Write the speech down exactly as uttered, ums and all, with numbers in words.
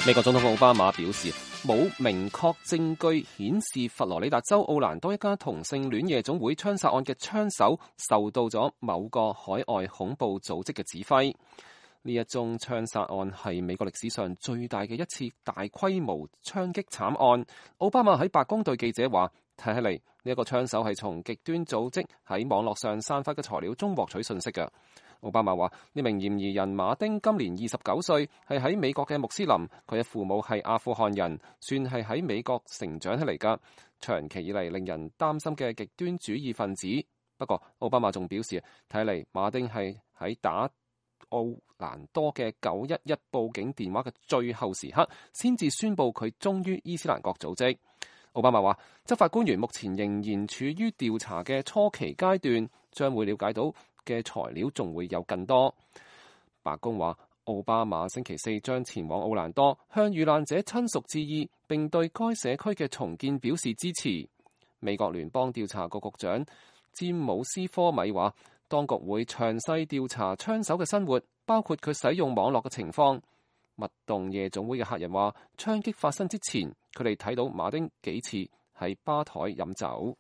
美國總統奧巴馬表示，冇明確證據顯示佛羅里達州奧蘭多一家同性戀夜總會槍殺案嘅槍手受到咗某個海外恐怖組織嘅指揮。呢一宗槍殺案係美國歷史上最大嘅一次大規模槍擊慘案。奧巴馬喺白宮對記者話，睇起嚟呢一個槍手係從極端組織喺網絡上散發嘅材料中獲取信息嘅。奧巴馬話：呢名嫌疑人馬丁今年二十九歲，係喺美國嘅穆斯林，佢嘅父母係阿富汗人，算係喺美國成長起嚟㗎。長期以嚟令人擔心嘅極端主義分子。不過，奧巴馬仲表示，睇嚟馬丁係喺打奧蘭多嘅九一一報警電話嘅最後時刻，先至宣布佢忠於伊斯蘭國組織。奧巴馬話：執法官員目前仍然處於調查嘅初期階段，將會了解到嘅材料仲會有更多。白宮話，奧巴馬星期四將前往奧蘭多，向遇難者親屬致意，並對該社區嘅重建表示支持。美國聯邦調查局局長詹姆斯科米話，當局會詳細調查槍手嘅生活，包括佢使用網絡嘅情況。密洞夜總會嘅客人話，槍擊發生之前，佢哋睇到馬丁幾次喺吧台飲酒。